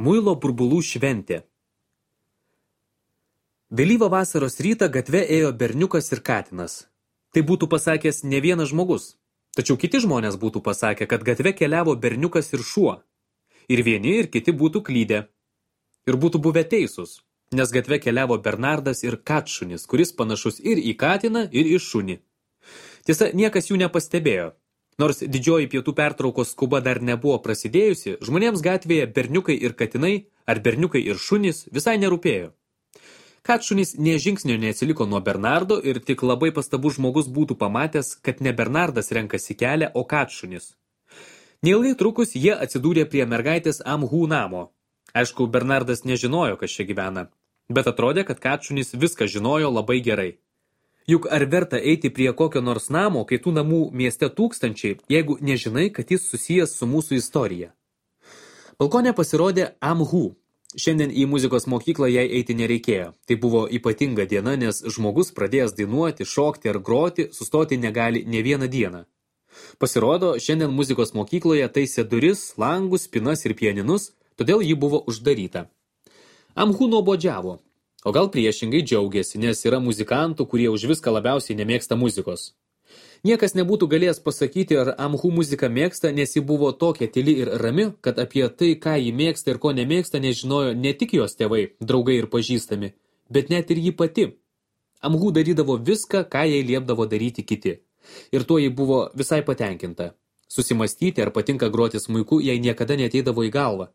Muilo burbulų šventė. Vėlyvą vasaros rytą gatve ėjo berniukas ir katinas. Tai būtų pasakęs ne vienas žmogus. Tačiau kiti žmonės būtų pasakę, kad gatve keliavo berniukas ir šuo. Ir vieni ir kiti būtų klydę. Ir būtų buvę teisūs, nes gatve keliavo Bernardas ir katšunis, kuris panašus ir į katiną, ir į šunį. Tiesa, niekas jų nepastebėjo. Nors didžioji pietų pertraukos skuba dar nebuvo prasidėjusi, žmonėms gatvėje berniukai ir katinai, ar berniukai ir šunys visai nerūpėjo. Katšunis nė žingsnio neatsiliko nuo Bernardo ir tik labai pastabus žmogus būtų pamatęs, kad ne Bernardas renkasi kelią, o katšunis. Neilgai trukus jie atsidūrė prie mergaitės Amhų namo. Aišku, Bernardas nežinojo, kas čia gyvena, bet atrodė, kad katšunis viską žinojo labai gerai. Juk ar verta eiti prie kokio nors namo, kai tų namų mieste tūkstančiai, jeigu nežinai, kad jis susijęs su mūsų istorija? Balkone pasirodė Amhų. Šiandien į muzikos mokyklą jai eiti nereikėjo. Tai buvo ypatinga diena, nes žmogus pradėjęs dainuoti, šokti ar groti, sustoti negali ne vieną dieną. Pasirodo, šiandien muzikos mokykloje taisė duris, langus, spinas ir pianinus, todėl ji buvo uždaryta. Amhų nuobodžiavo. O gal priešingai džiaugiasi, nes yra muzikantų, kurie už viską labiausiai nemėgsta muzikos. Niekas nebūtų galėjęs pasakyti, ar Amhų muziką mėgsta, nes ji buvo tokia tyli ir rami, kad apie tai, ką ji mėgsta ir ko nemėgsta, nežinojo ne tik jos tėvai, draugai ir pažįstami, bet net ir ji pati. Amhų darydavo viską, ką jai liepdavo daryti kiti. Ir tuo ji buvo visai patenkinta. Susimastyti, ar patinka groti smuiku, jai niekada neateidavo į galvą.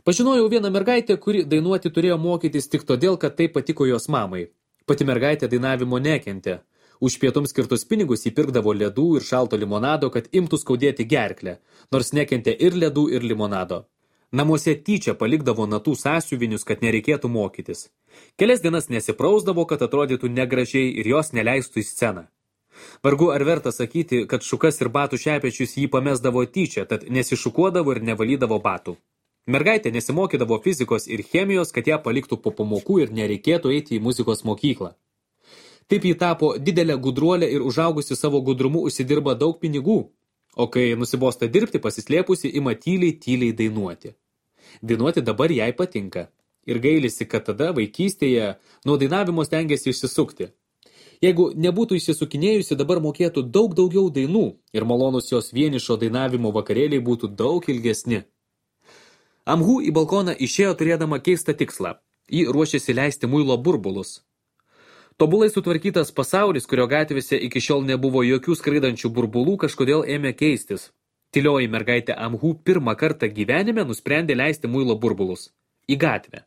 Pažinojau vieną mergaitę, kuri dainuoti turėjo mokytis tik todėl, kad tai patiko jos mamai. Pati mergaitė dainavimo nekentė. Už pietums skirtus pinigus įpirkdavo ledų ir šalto limonado, kad imtų skaudėti gerklę, nors nekentė ir ledų, ir limonado. Namuose tyčia palikdavo natų sąsiuvinius, kad nereikėtų mokytis. Kelias dienas nesiprausdavo, kad atrodytų negražiai ir jos neleistų į sceną. Vargu ar verta sakyti, kad šukas ir batų šepečius jį pamesdavo tyčia, tad nesišukuodavo ir nevalydavo batų. Mergaitė nesimokydavo fizikos ir chemijos, kad ją paliktų po pamokų ir nereikėtų eiti į muzikos mokyklą. Taip ji tapo didelę gudruolę ir užaugusi savo gudrumu užsidirba daug pinigų, o kai nusibosta dirbti, pasislėpusi ima tyliai dainuoti. Dainuoti dabar jai patinka ir gailisi, kad tada vaikystėje nuo dainavimo stengiasi išsisukti. Jeigu nebūtų išsisukinėjusi, dabar mokėtų daug daugiau dainų ir malonus jos vienišo dainavimo vakarėliai būtų daug ilgesni. Amhų į balkoną išėjo turėdama keistą tikslą. Ji ruošėsi leisti muilo burbulus. Tobulai sutvarkytas pasaulis, kurio gatvėse iki šiol nebuvo jokių skraidančių burbulų, kažkodėl ėmė keistis. Tylioji mergaitė Amhų pirmą kartą gyvenime nusprendė leisti muilo burbulus. Į gatvę.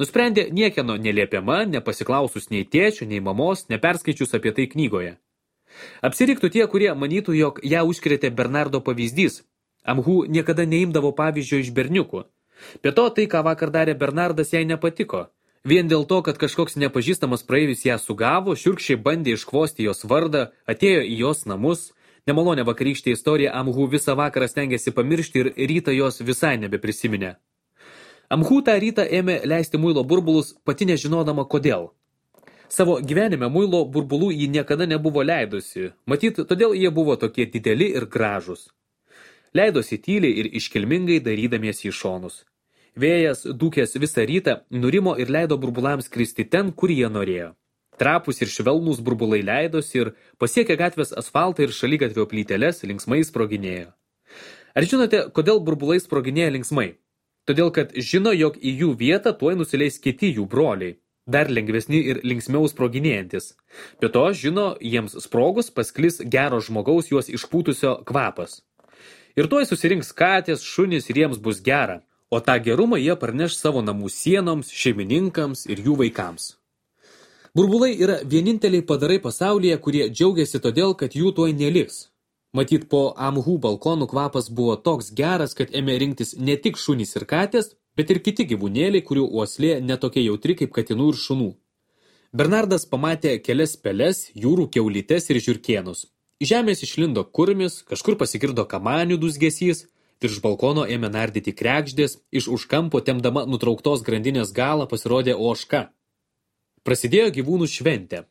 Nusprendė niekieno neliepiama, nepasiklausus nei tėčio, nei mamos, neperskaičius apie tai knygoje. Apsiriktų tie, kurie manytų, jog ją užkrėtė Bernardo pavyzdys. Amhų niekada neimdavo pavyzdžio iš berniukų. Be to, tai, ką vakar darė Bernardas, jai nepatiko. Vien dėl to, kad kažkoks nepažįstamas praeivis ją sugavo, šiurkščiai bandė iškvosti jos vardą, atėjo į jos namus. Nemalonę vakarykštę istoriją Amhų visą vakarą stengėsi pamiršti ir rytą jos visai nebeprisiminė. Amhų tą rytą ėmė leisti muilo burbulus, pati nežinodama kodėl. Savo gyvenime muilo burbulų ji niekada nebuvo leidusi, matyt, todėl jie buvo tokie dideli ir gražūs. Leidosi tyliai ir iškilmingai darydamiesi į šonus. Vėjas, dūkęs visą rytą, nurimo ir leido burbulams kristi ten, kur jie norėjo. Trapus ir švelnūs burbulai leidosi ir pasiekę gatvės asfaltą ir šaligatvio plyteles linksmai sproginėjo. Ar žinote, kodėl burbulai sproginėja linksmai? Todėl, kad žino, jog į jų vietą tuoj nusileis kiti jų broliai, dar lengvesni ir linksmiau sproginėjantis. Be to, žino, jiems sprogus pasklis gero žmogaus juos išpūtusio kvapas. Ir tuoj susirinks katės, šunys ir jiems bus gera. O tą gerumą jie parneš savo namų sienoms, šeimininkams ir jų vaikams. Burbulai yra vieninteliai padarai pasaulyje, kurie džiaugiasi todėl, kad jų tuoj neliks. Matyt, po Amhų balkonų kvapas buvo toks geras, kad ėmė rinktis ne tik šunys ir katės, bet ir kiti gyvūnėliai, kurių uoslė netokia jautri kaip katinų ir šunų. Bernardas pamatė kelias peles, jūrų kiaulytes ir žiurkėnus. Iš žemės išlindo kurmis, kažkur pasigirdo kamanių dūzgesys, virš balkono ėmė nardyti kregždės, iš už kampo tempdama nutrauktos grandinės galą pasirodė ožka. Prasidėjo gyvūnų šventė.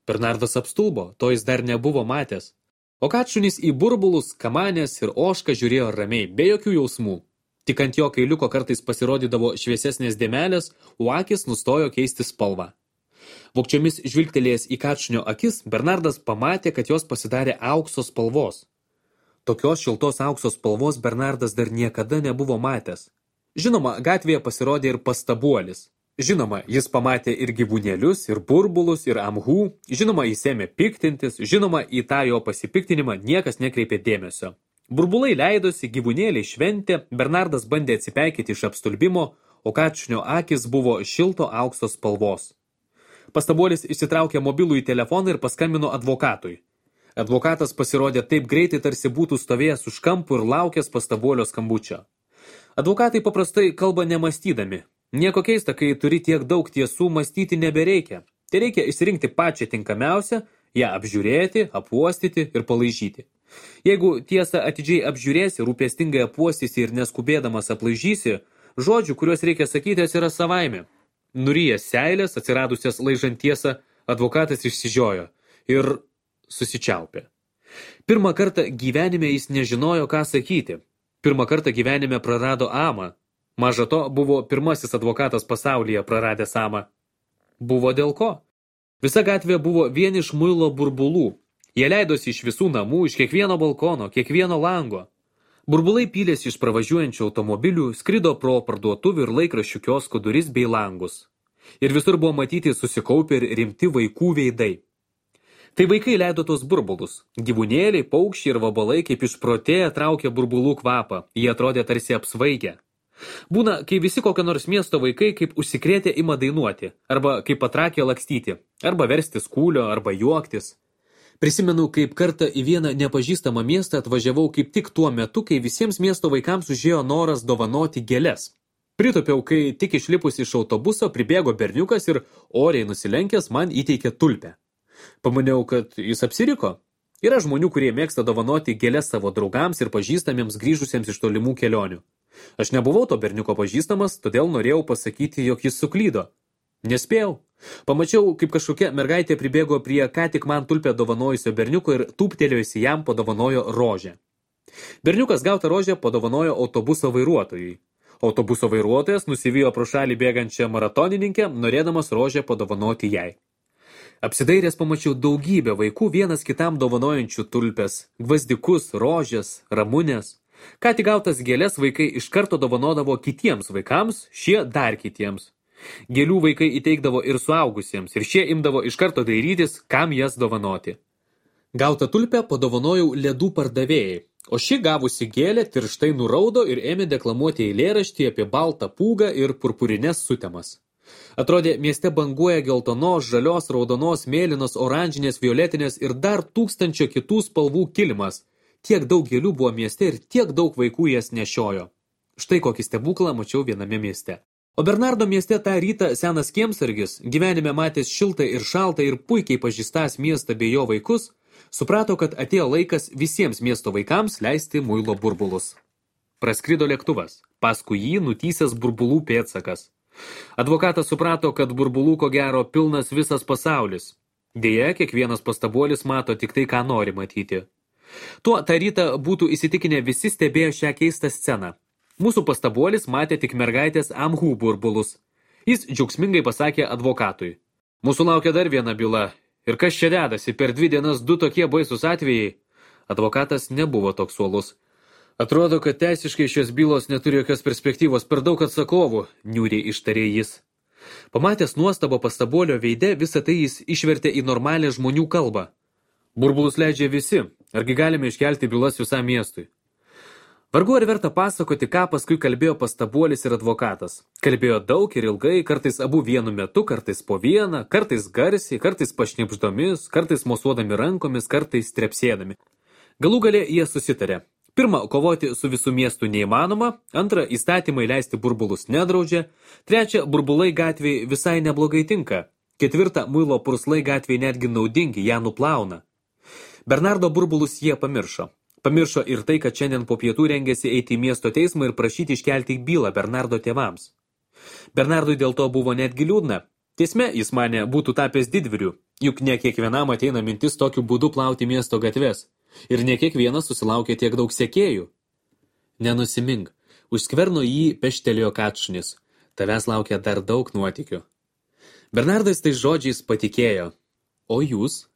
Bernardas apstulbo, to jis dar nebuvo matęs. O katšunis į burbulus, kamanės ir ožką žiūrėjo ramiai, be jokių jausmų. Tik ant jo kailiuko kartais pasirodydavo šviesesnės dėmelės, o akis nustojo keisti spalvą. Vogčiomis žvilgtelėjęs į kačnio akis, Bernardas pamatė, kad jos pasidarė aukso spalvos. Tokios šiltos aukso spalvos Bernardas dar niekada nebuvo matęs. Žinoma, gatvėje pasirodė ir pastabuolis. Žinoma, jis pamatė ir gyvūnėlius, ir burbulus, ir amhų. Žinoma, jis ėmė piktintis. Žinoma, į tą jo pasipiktinimą niekas nekreipė dėmesio. Burbulai leidosi, gyvūnėliai šventė, Bernardas bandė atsipeikyti iš apstulbimo, o kačnio akis buvo šilto aukso spalvos. Pastabuolis išsitraukė mobilųjį telefoną ir paskambino advokatui. Advokatas pasirodė taip greitai, tarsi būtų stovėjęs už kampų ir laukęs pastabuolio skambučio. Advokatai paprastai kalba nemąstydami. Nieko keista, kai turi tiek daug tiesų, mąstyti nebereikia. Tai reikia išsirinkti pačią tinkamiausią, ją apžiūrėti, apuostyti ir palaižyti. Jeigu tiesą atidžiai apžiūrėsi, rūpestingai apuostysi ir neskubėdamas aplaižysi, žodžių, kuriuos reikia sakyti, yra savaime. Nurijęs seilės, atsiradusias laižant tiesą, advokatas išsižiojo ir susičiaupė. Pirmą kartą gyvenime jis nežinojo, ką sakyti. Pirmą kartą gyvenime prarado amą. Maža to, buvo pirmasis advokatas pasaulyje praradęs amą. Buvo dėl ko? Visa gatvė buvo vien iš muilo burbulų. Jie leidosi iš visų namų, iš kiekvieno balkono, kiekvieno lango. Burbulai pylėsi iš pravažiuojančių automobilių, skrido pro parduotuvių ir laikraščių kioskų duris bei langus. Ir visur buvo matyti susikaupę ir rimti vaikų veidai. Tai vaikai leido tos burbulus. Gyvūnėliai, paukščiai ir vabalai kaip išprotėję traukė burbulų kvapą. Jie atrodė tarsi apsvaigę. Būna, kai visi kokio nors miesto vaikai kaip užsikrėtę ima dainuoti, arba kaip patrakė lakstyti, arba verstis kūlio, arba juoktis. Prisimenu, kaip kartą į vieną nepažįstamą miestą atvažiavau kaip tik tuo metu, kai visiems miesto vaikams užėjo noras dovanoti gėles. Pritupiau, kai tik išlipus iš autobuso pribėgo berniukas ir oriai nusilenkęs man įteikė tulpę. Pamaniau, kad jis apsiriko. Yra žmonių, kurie mėgsta dovanoti gėles savo draugams ir pažįstamiems grįžusiems iš tolimų kelionių. Aš nebuvau to berniuko pažįstamas, todėl norėjau pasakyti, jog jis suklydo. Nespėjau. Pamačiau, kaip kažkokia mergaitė pribėgo prie ką tik man tulpę dovanojusio berniuko ir tūptelėjusi jam padovanojo rožę. Berniukas gautą rožę padovanojo autobuso vairuotojui. Autobuso vairuotojas nusivijo pro šalį bėgančią maratonininkę, norėdamas rožę padovanoti jai. Apsidairęs pamačiau daugybę vaikų vienas kitam dovanojančių tulpes, gvazdikus, rožės, ramunės. Ką tik gautas gėles vaikai iš karto dovanodavo kitiems vaikams, šie dar kitiems. Gėlių vaikai įteikdavo ir suaugusiems, ir šie imdavo iš karto dairytis, kam jas dovanoti. Gautą tulpę padovanojau ledų pardavėjai, o ši gavusi gėlę tirštai nuraudo ir ėmė deklamuoti eilėraštį apie baltą pūgą ir purpurines sutemas. Atrodė, mieste banguoja geltonos, žalios, raudonos, mėlynos, oranžinės, violetinės ir dar 1000 kitų spalvų kilimas. Tiek daug gėlių buvo mieste ir tiek daug vaikų jas nešiojo. Štai kokį stebuklą mačiau viename mieste. O Bernardo mieste tą rytą senas kiemsargis, gyvenime matęs šiltą ir šaltą ir puikiai pažįstąs miestą bei jo vaikus, suprato, kad atėjo laikas visiems miesto vaikams leisti muilo burbulus. Praskrido lėktuvas, paskui jį nutysęs burbulų pėdsakas. Advokatas suprato, kad burbulų ko gero pilnas visas pasaulis. Deja, kiekvienas pastabuolis mato tik tai, ką nori matyti. Tuo tą rytą būtų įsitikinę visi stebėjo šią keistą sceną. Mūsų pastabuolis matė tik mergaitės amhų burbulus. Jis džiaugsmingai pasakė advokatui. Mūsų laukia dar viena byla. Ir kas čia dedasi, per 2 dienas 2 tokie baisus atvejai? Advokatas nebuvo toks uolus. Atrodo, kad teisiškai šios bylos neturi jokios perspektyvos, per daug atsakovų, niūriai ištarė jis. Pamatęs nuostabą pastabuolio veide, visą tai jis išvertė į normalią žmonių kalbą. Burbulus leidžia visi, argi galime iškelti bylas visam miestui. Vargu ar verta pasakoti, ką paskui kalbėjo pastabuolis ir advokatas. Kalbėjo daug ir ilgai, kartais abu vienu metu, kartais po vieną, kartais garsiai, kartais pašnibždomis, kartais mosuodami rankomis, kartais trepsėdami. Galų gale jie susitarė. Pirma, kovoti su visų miestų neįmanoma, antra, įstatymai leisti burbulus nedraudžia, trečia, burbulai gatvėje visai neblogai tinka, ketvirta, muilo purslai gatvėje netgi naudingi, ją nuplauna. Bernardo burbulus jie pamiršo. Pamiršo ir tai, kad šiandien po pietų rengėsi eiti į miesto teismą ir prašyti iškelti bylą Bernardo tėvams. Bernardui dėl to buvo netgi liūdna. Teisme, jis manė, būtų tapęs didvyriu, juk ne kiekvienam ateina mintis tokiu būdu plauti miesto gatves. Ir ne kiekvienas susilaukė tiek daug sekėjų. Nenusimink. Už skverno jį peštelėjo katšunis. Tavęs laukia dar daug nuotykių. Bernardas tais žodžiais patikėjo. O jūs?